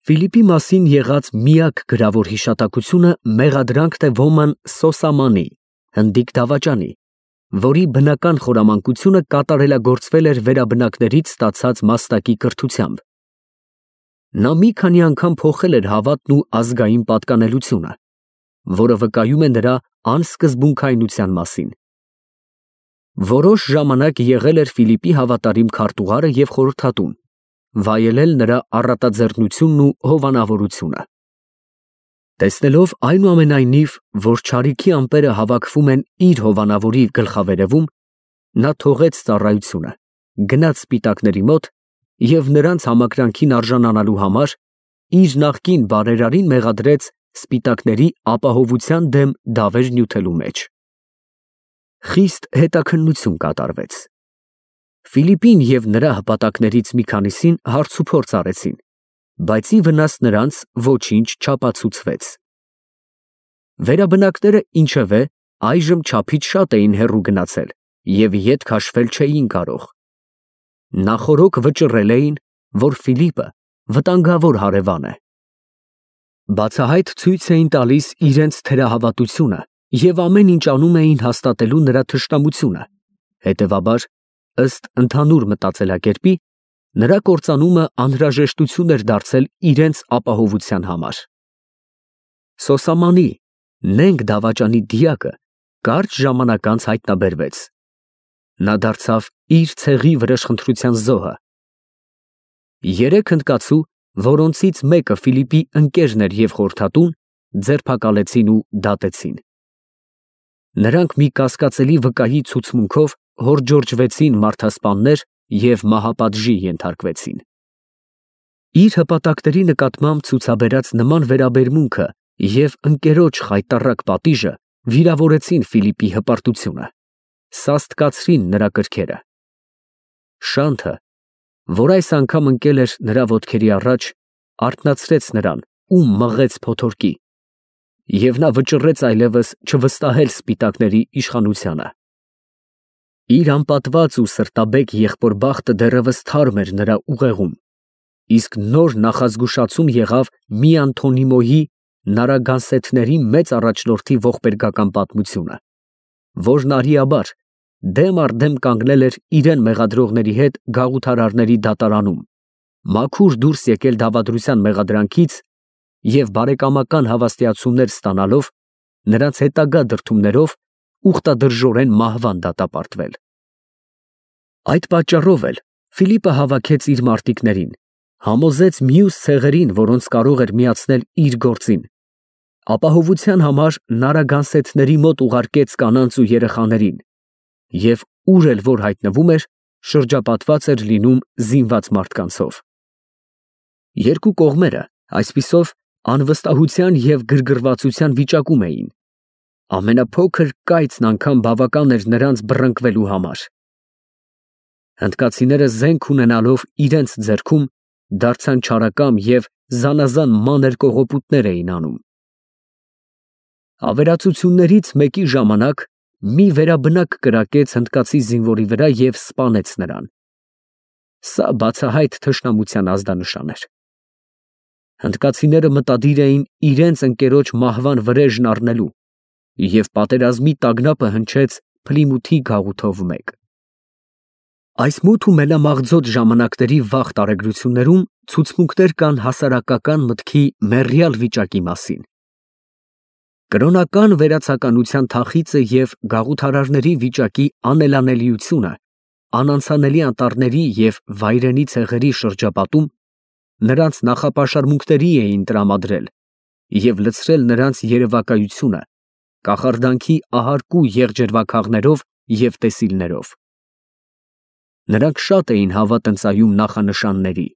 Ֆիլիպի մասին եղած միակ գրավոր հիշատակությունը մեղադրանքն է ոման Սոսամանի, հնդիկ դավաճանի, որի բնական խորամանկությունը կատարելագործվել էր վերաբնակներից ստացած մաստակի կրթությամբ։ Նա մի քանի անգամ փոխել էր հավատն ու ազգային պատկանելությունը, որը վկայում է նրա անսկզբունքայնության մասին։ Որոշ ժամանակ եղել էր Ֆիլիպի հավատարիմ քարտուղարը և խորհրդատուն, վայելել նրա առատաձեռնությունն ու հովանավորությունը։ Տեսնելով այնուամենայնիվ, որ չարիքի ամպերը հավաքվում են իր հովանավորի գլխավերևում, նա թողեց ծառայությունը, գնաց սպիտակների մոտ և նրանց համակրանքին արժանանալու համար իր նախկին բարերարին մեղադրեց սպիտակների ապահովության դեմ դավեր նյութելու մեջ։ Խիստ հետաքննություն կատարվեց։ Ֆիլիպին և նրա հպատակներից մի քանիսին հարցուփորձ արեցին, բայց ի վնաս նրանց ոչինչ չապացուցվեց։ Վերաբնակները, ինչևէ, այժմ չափից շատ էին հեռու գնացել և ետ քաշվել չէին կարող։ Նախօրոք վճռել էին, որ Ֆիլիպը վտանգավոր հարևան է։ Բացահայտ ցույց էին տալիս իրենց թերահավատությունը և ամեն ինչ անում էին հաստատելու նրա թշնամությունը, հետևաբար, ըստ ընդհանուր մտածելակերպի, նրա կործանումը անհրաժեշտություն էր դարձել իրենց ապահովության համար։ Սոսամանի նենգ դավաճանի դիակը կարճ ժամանակ անց հայտնաբերվեց։ Նա դարձավ իր ցեղի վրեժխնդրության զոհը։ Երեք հնդկացու, որոնցից մեկը Ֆիլիպի ընկերն էր և խորհրդատուն, ձերբակալեցին ու դատեցին։ Նրանք մի կասկածելի վկայի ցուցմունքով հորդջորջվեցին մարդասպաններ և մահապատժի ենթարկվեցին։ Իր հպատակների նկատմամբ ցուցաբերած նման վերաբերմունքը և ընկերոջ խայտառակ պատիժը վիրավորեցին Ֆիլիպի հպարտությունը, սաստկացրին նրա կրքերը։ Շանթը, որ այս անգամ ընկել էր նրա ոտքերի առաջ, արթնացրեց նրան ու մղեց փոթորկի, և նա վճռեց այլևս չվստահել սպիտակների իշխանությանը։ Իր անպատված ու սրտաբեկ եղբոր բախտը դեռևս թարմ էր նրա ուղեղում, իսկ նոր նախազգուշացում եղավ մի Անթոնիմոյի նարագանսեթների մեծ առաջնորդի ողբերգական պատմությունը, որն արիաբար դեմ առ դեմ կանգնել էր իրեն մեղադրողների հետ գաղութարարների դատարանում, մաքուր դուրս եկել դավադրության մեղադրանքից և բարեկամական հավաստիացումներ ստանալով, նրանց հետագա դրդումներով ուխտադրժորեն մահվան դատապարտվել։ Այդ պատճառով էլ Ֆիլիպը հավաքեց իր մարտիկներին, համոզեց մյուս ցեղերին, որոնց կարող էր միացնել իր գործին, ապահովության համար նարագանսեթների մոտ ուղարկեց կանանց ու երեխաներին և ուր էլ որ հայտնվում էր, շրջապատված էր լինում զինված մարդկանցով։ Երկու կողմերը այսպիսով անվստահության և գրգռվածության վիճակում էին։ Ամենափոքր կայծն անգամ բավական էր նրանց բռնկվելու համար։ Հնդկացիները զենք ունենալով իրենց ձեռքում դարձան չարակամ և զանազան մանր կողոպուտներ էին անում։ Ավերածություններից մեկի ժամանակ մի վերաբնակ կրակեց հնդկացի զինվորի վրա և սպանեց նրան։ Սա բացահայտ թշնամության ազդանշան էր։ Հնդկացիները մտադիր էին իրենց ընկերոջ մահվան վրեժն առնելու և պատերազմի տագնապը հնչեց Փլիմութի գաղութով մեկ։ Այս մութ ու մենամաղձոտ ժամանակների վաղ տարեգրություններում ցուցմունքներ կան հասարակական մտքի մեռյալ վիճակի մասին։ Կրոնական վերացականության թախիծը և գաղութարարների վիճակի անելանելիությունը անանցանելի անտառների և վայրենի ցեղերի շրջապատում նրանց նախապաշարմունքների էին տրամադրել և լցրել նրանց երևակայությունը կախարդանքի ահարկու եղջերվաքաղներով և տեսիլներով։ Նրանք շատ էին հավատ ընծայում նախանշանների։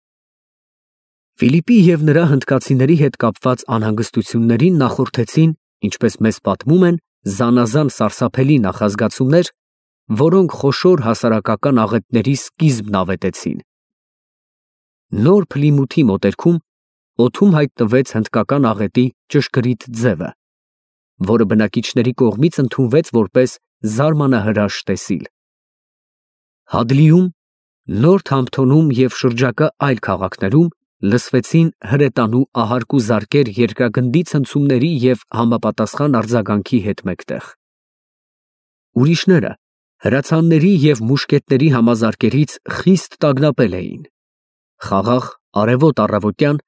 Ֆիլիպի և նրա հնդկացիների հետ կապված անհանգստություններին նախորդեցին, ինչպես մեզ պատմում են, զանազան սարսափելի նախազգացումներ, որոնք խոշոր հասարակական աղետների սկիզբն ավետեցին։ Նոր Փլիմութի մոտերքում օդում հայտնվեց հնդկական աղետի ճշգրիտ ձևը, որը բնակիչների կողմից ընդունվեց որպես զարմանահրաշ տեսիլ։ Հադլիում, Նորթամփթոնում և շրջակա այլ քաղաքներում լսվեցին հրետանու ահարկու զարկեր երկրագնդի ցնցումների և համապատասխան արձագանքի հետ մեկտեղ։ Ուրիշները հրացանների և մուշկետների համազարկերից խիստ տագնապել էին։ Խաղաղ արևոտ առավոտյան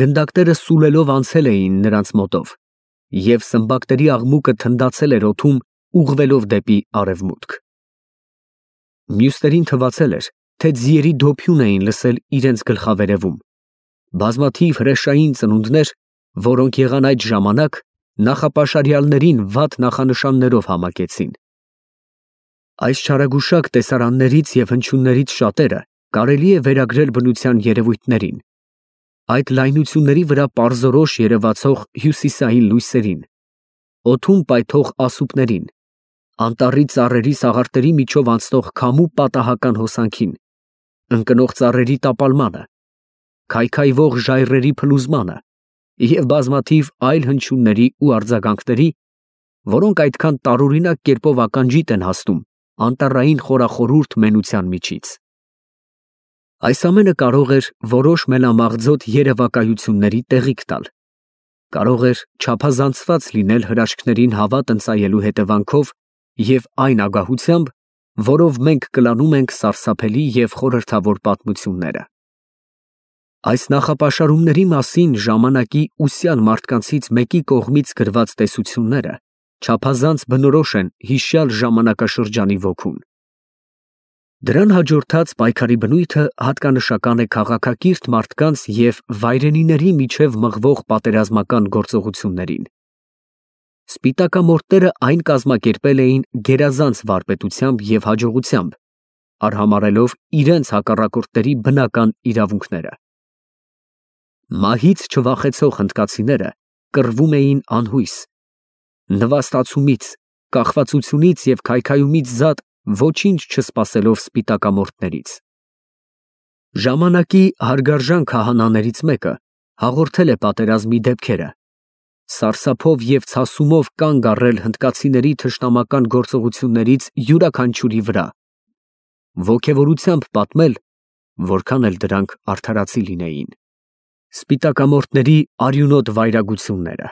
գնդակները սուլելով անցել էին նրանց մոտով, և սմբակների աղմուկը թնդացել էր օդում, ուղղվելով դեպի արևմուտք։ Մյուսներին թվացել էր, թե ձիերի դոփյուն էին լսել իրենց գլխավերևում, բազմաթիվ հրեշային ծնունդներ, որոնք եղան այդ ժամանակ, նախապաշարյալներին վատ նախանշաններով համակեցին։ Այս չարագուշակ տեսարաններից և հնչյուններից շատերը կարելի է վերագրել բնության երևույթներին, այդ լայնությունների վրա պարզորոշ երևացող հյուսիսային լույսերին, օդում պայթող ասուպներին, անտառի ծառերի սաղարթերի միջով անցնող քամու պատահական հոսանքին, ընկնող ծառերի տապալմանը, քայքայվող ժայռերի փլուզմանը և բազմաթիվ այլ հնչյունների ու արձագանքների, որոնք այդքան տարօրինակ կերպով ականջիդ են հասնում անտառային խորախորհուրդ մենության միջից։ Այս ամենը կարող էր որոշ մենամաղձոտ երևակայությունների տեղիք տալ, կարող էր չափազանցված լինել հրաշքներին հավատ ընծայելու հետևանքով և այն ագահությամբ, որով մենք կլանում ենք սարսափելի և խորհրդավոր պատմությունները։ Այս նախապաշարումների մասին ժամանակի ուսյալ մարդկանցից մեկի կողմից գրված տեսությունները չափազանց բնորոշ են հիշյալ ժամանակաշրջանի ոգուն։ Դրան հաջորդած պայքարի բնույթը հատկանշական է քաղաքակիրթ մարդկանց և վայրենիների միջև մղվող պատերազմական գործողություններին։ Սպիտակամորտները այն կազմակերպել էին գերազանց վարպետությամբ և հաջողությամբ, արհամարհելով իրենց հակառակորդների բնական իրավունքները։ Մահից չվախեցող հնդկացիները կռվում էին անհույս, նվաստացումից, կախվածությունից և քայքայումից զատ ոչինչ չսպասելով սպիտակամորտներից։ Ժամանակի հարգարժան քահանաներից մեկը հաղորդել է պատերազմի դեպքերը, սարսափով և ցասումով կանգ առել հնդկացիների թշնամական գործողություններից յուրաքանչյուրի վրա, ոգևորությամբ պատմել, որքան էլ դրանք արդարացի լինեին, սպիտակամորտների արյունոտ վայրագությունները։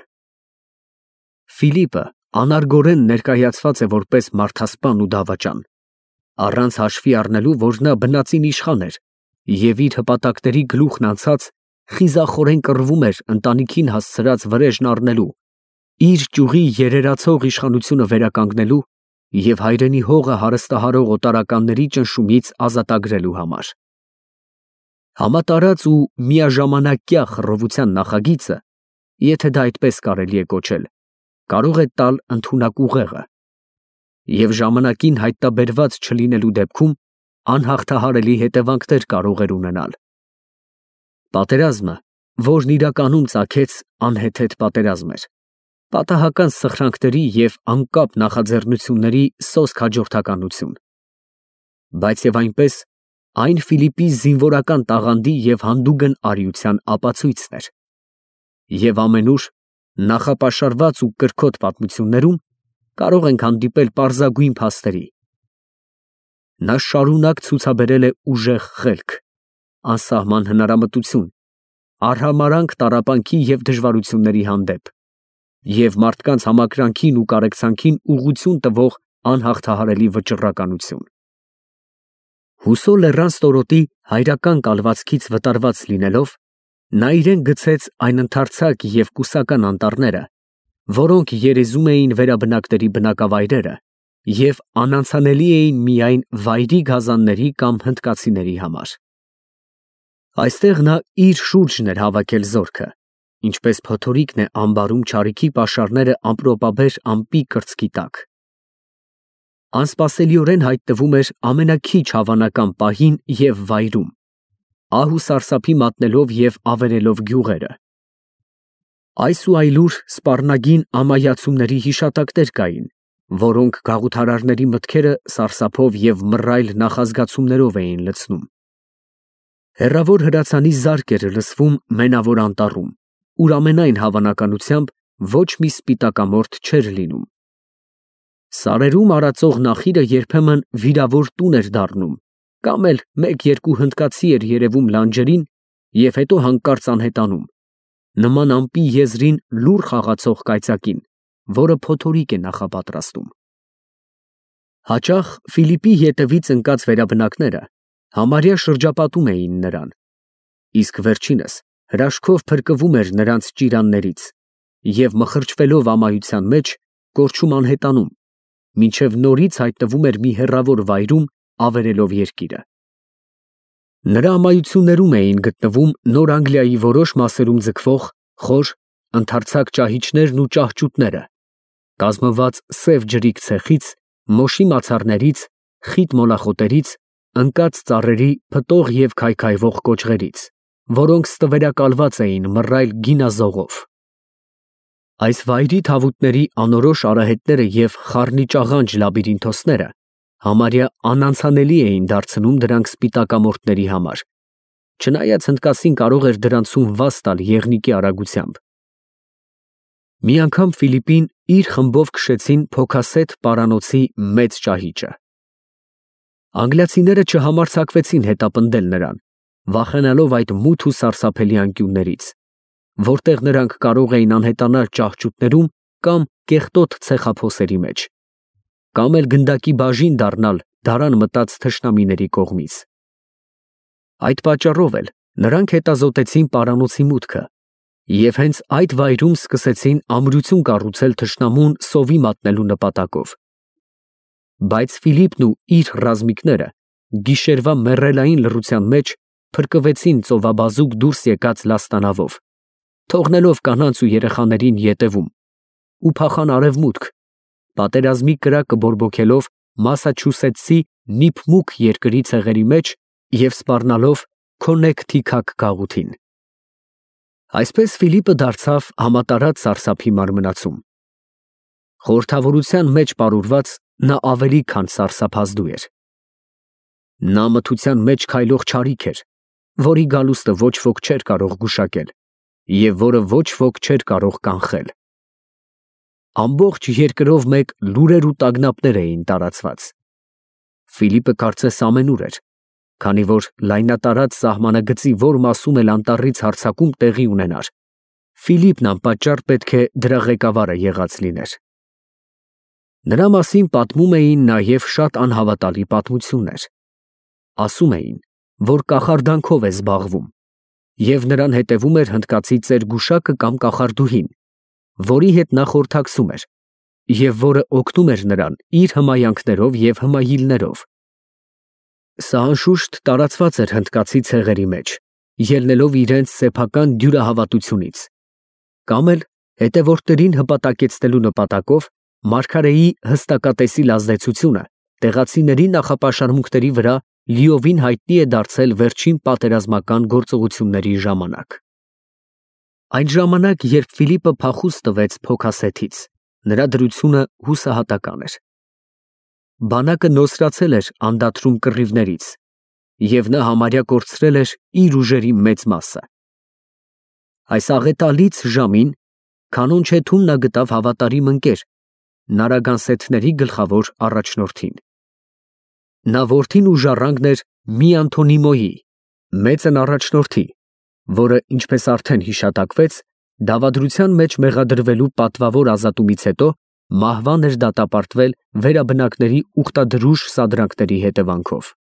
Ֆիլիպը անարգորեն ներկայացված է որպես մարդասպան ու դավաճան, առանց հաշվի առնելու, որ նա բնածին իշխան էր և իր հպատակների գլուխն անցած խիզախորեն կռվում էր ընտանիքին հասցրած վրեժն առնելու, իր ճյուղի երերացող իշխանությունը վերականգնելու և հայրենի հողը հարստահարող օտարականների ճնշումից ազատագրելու համար։ Համատարած ու միաժամանակյա խռովության նախագիծը, եթե դա այդպես կարելի է կոչել, կարող է տալ ընդունակ ուղեղը և ժամանակին հայտնաբերված չլինելու դեպքում անհաղթահարելի հետևանքներ կարող էր ունենալ։ Պատերազմը, որն իրականում ծագեց անհեթեթ պատերազմ էր, պատահական սխրանքների և անկապ նախաձեռնությունների սոսկ հաջորդականություն, բայց և այնպես այն Ֆիլիպի զինվորական տաղանդի և հանդուգն արիության ապացույցն էր, և ամենուր նախապաշարված ու կրքոտ պատմություններում կարող ենք հանդիպել պարզագույն փաստերի։ Նա շարունակ ցուցաբերել է ուժեղ խելք, անսահման հնարամտություն, արհամարհանք տառապանքի և դժվարությունների հանդեպ և մարդկանց համակրանքին ու կարեկցանքին ուղղություն տվող անհաղթահարելի վճռականություն։ Հուսո լեռան ստորոտի հայրական կալվածքից վտարված լինելով, նա իրեն գցեց այն ընդարձակ և կուսական անտառները, որոնք երեզում էին վերաբնակների բնակավայրերը և անանցանելի էին միայն վայրի գազանների կամ հնդկացիների համար։ Այստեղ նա իր շուրջն էր հավաքել զորքը, ինչպես փոթորիկն է ամբարում չարիքի պաշարները ամպրոպաբեր ամպի կրծքի տակ։ Անսպասելիորեն հայտնվում էր ամենաքիչ հավանական պահին և վայրում, ահ ու սարսափի մատնելով և ավերելով գյուղերը։ Այս ու այլուր սպառնագին ամայացումների հիշատակներ կային, որոնք գաղութարարների մտքերը սարսափով և մռայլ նախազգացումներով էին լցնում։ Հեռավոր հրացանի զարկ էր լսվում Մենավոր Անտառում, ուր ամենայն հավանականությամբ ոչ մի սպիտակամորտ չէր լինում։ Սարերում արածող նախիրը երբեմն վիրավոր տուն էր դառնում, կամ էլ մեկ֊երկու հնդկացի էր երևում լանջերին և հետո հանկարծ անհետանում, նման ամպի եզրին լուռ խաղացող կայծակին, որը փոթորիկ է նախապատրաստում։ Հաճախ Ֆիլիպի ետևից ընկած վերաբնակները համարյա շրջապատում էին նրան, իսկ վերջինս հրաշքով փրկվում էր նրանց ճիրաններից և մխրճվելով ամայության մեջ կորչում անհետանում, մինչև նորից հայտնվում էր մի հեռավոր վայրում ավերելով երկիրը։ Նրա ամայություններում էին գտնվում Նոր Անգլիայի որոշ մասերում ձգվող խոր, ընդարձակ ճահիճներն ու ճահճուտները, կազմված սև ջրիկ ցեխից, մոշի մացառներից, խիտ մոլախոտերից, ընկած ծառերի փտող և քայքայվող կոճղերից, որոնք ստվերակալված էին մռայլ գինազողով։ Այս վայրի թավուտների անորոշ արահետները և խառնիճաղանճ լաբիրինթոսները համարյա անանցանելի էին դարձնում դրանք սպիտակամորթների համար, չնայած հնդկացին կարող էր դրանցում վազ տալ եղնիկի արագությամբ։ Մի անգամ Ֆիլիպին իր խմբով քշեցին Փոքասեթ պարանոցի մեծ ճահիճը։ Անգլիացիները չհամարձակվեցին հետապնդել նրան, վախենալով այդ մութ ու սարսափելի անկյուններից, որտեղ նրանք կարող էին անհետանալ ճահճուտներում կամ կեղտոտ ցեխափոսերի մեջ, կամ էլ գնդակի բաժին դառնալ դարան մտած թշնամիների կողմից։ Այդ պատճառով էլ նրանք հետազոտեցին պարանոցի մուտքը և հենց այդ վայրում սկսեցին ամրություն կառուցել թշնամուն սովի մատնելու նպատակով։ Բայց Ֆիլիպն ու իր ռազմիկները գիշերվա մեռելային լռության մեջ փրկվեցին ծովաբազուկ դուրս եկած լաստանավով, թողնելով կանանց ու երեխաներին ետևում, ու փախան արևմուտք, պատերազմի կրակը բորբոքելով Մասաչուսեթսի Նիփմուք երկրի ցեղերի մեջ և սպառնալով Քոնեքթիքաք գաղութին։ Այսպես Ֆիլիպը դարձավ համատարած սարսափի մարմնացում։ Խորհրդավորության մեջ պարուրված նա ավելի քան սարսափազդու էր։ Նա մթության մեջ քայլող չարիք էր, որի գալուստը ոչ ոք չէր կարող գուշակել և որը ոչ ոք չէր կարող կանխել։ Ամբողջ երկրով մեկ լուրեր ու տագնապներ էին տարածված։ Ֆիլիպը կարծես ամենուր էր, քանի որ լայնատարած սահմանագծի որ մասում էլ անտառից հարձակում տեղի ունենար, Ֆիլիպն անպատճառ պետք է դրա ղեկավարը եղած լիներ։ Նրա մասին պատմում էին նաև շատ անհավատալի պատմություններ։ Ասում էին, որ կախարդանքով է զբաղվում, և նրան հետևում էր հնդկացի ծերգուշակը կամ կախարդուհին, որի հետ նա խորհրդակցում էր, և որը օգնում էր նրան իր հմայանքներով և հմայիլներով։ Սա անշուշտ տարածված էր հնդկացի ցեղերի մեջ, ելնելով իրենց սեփական դյուրահավատությունից, կամ էլ հետևորդներին հպատակեցնելու նպատակով մարգարեի հստակատեսիլ ազդեցությունը տեղացիների նախապաշարմունքների վրա լիովին հայտնի է դարձել վերջին պատերազմական գործողությունների ժամանակ։ Այն ժամանակ, երբ Ֆիլիպը փախուս տվեց Փոքասեթից, նրա դրությունը հուսահատական էր։ Բանակը նոսրացել էր անդադրում կռիվներից, և նա համարյա կորցրել էր իր ուժերի մեծ մասը։ Այս աղետալից ժամին Քանոնչեթում նա գտավ հավատարիմ ընկեր, նարագանսեթների գլխավոր առաջնորդին։ Նա որդին ու ժառանգն էր մի Անթոնիմոյի, մեծն առաջնորդի, որը, ինչպես արդեն հիշատակվեց, դավադրության մեջ մեղադրվելու պատվավոր ազատումից հետո մահվան էր դատապարտվել վերաբնակների ուխտադրուժ սադրանքների հետևանքով։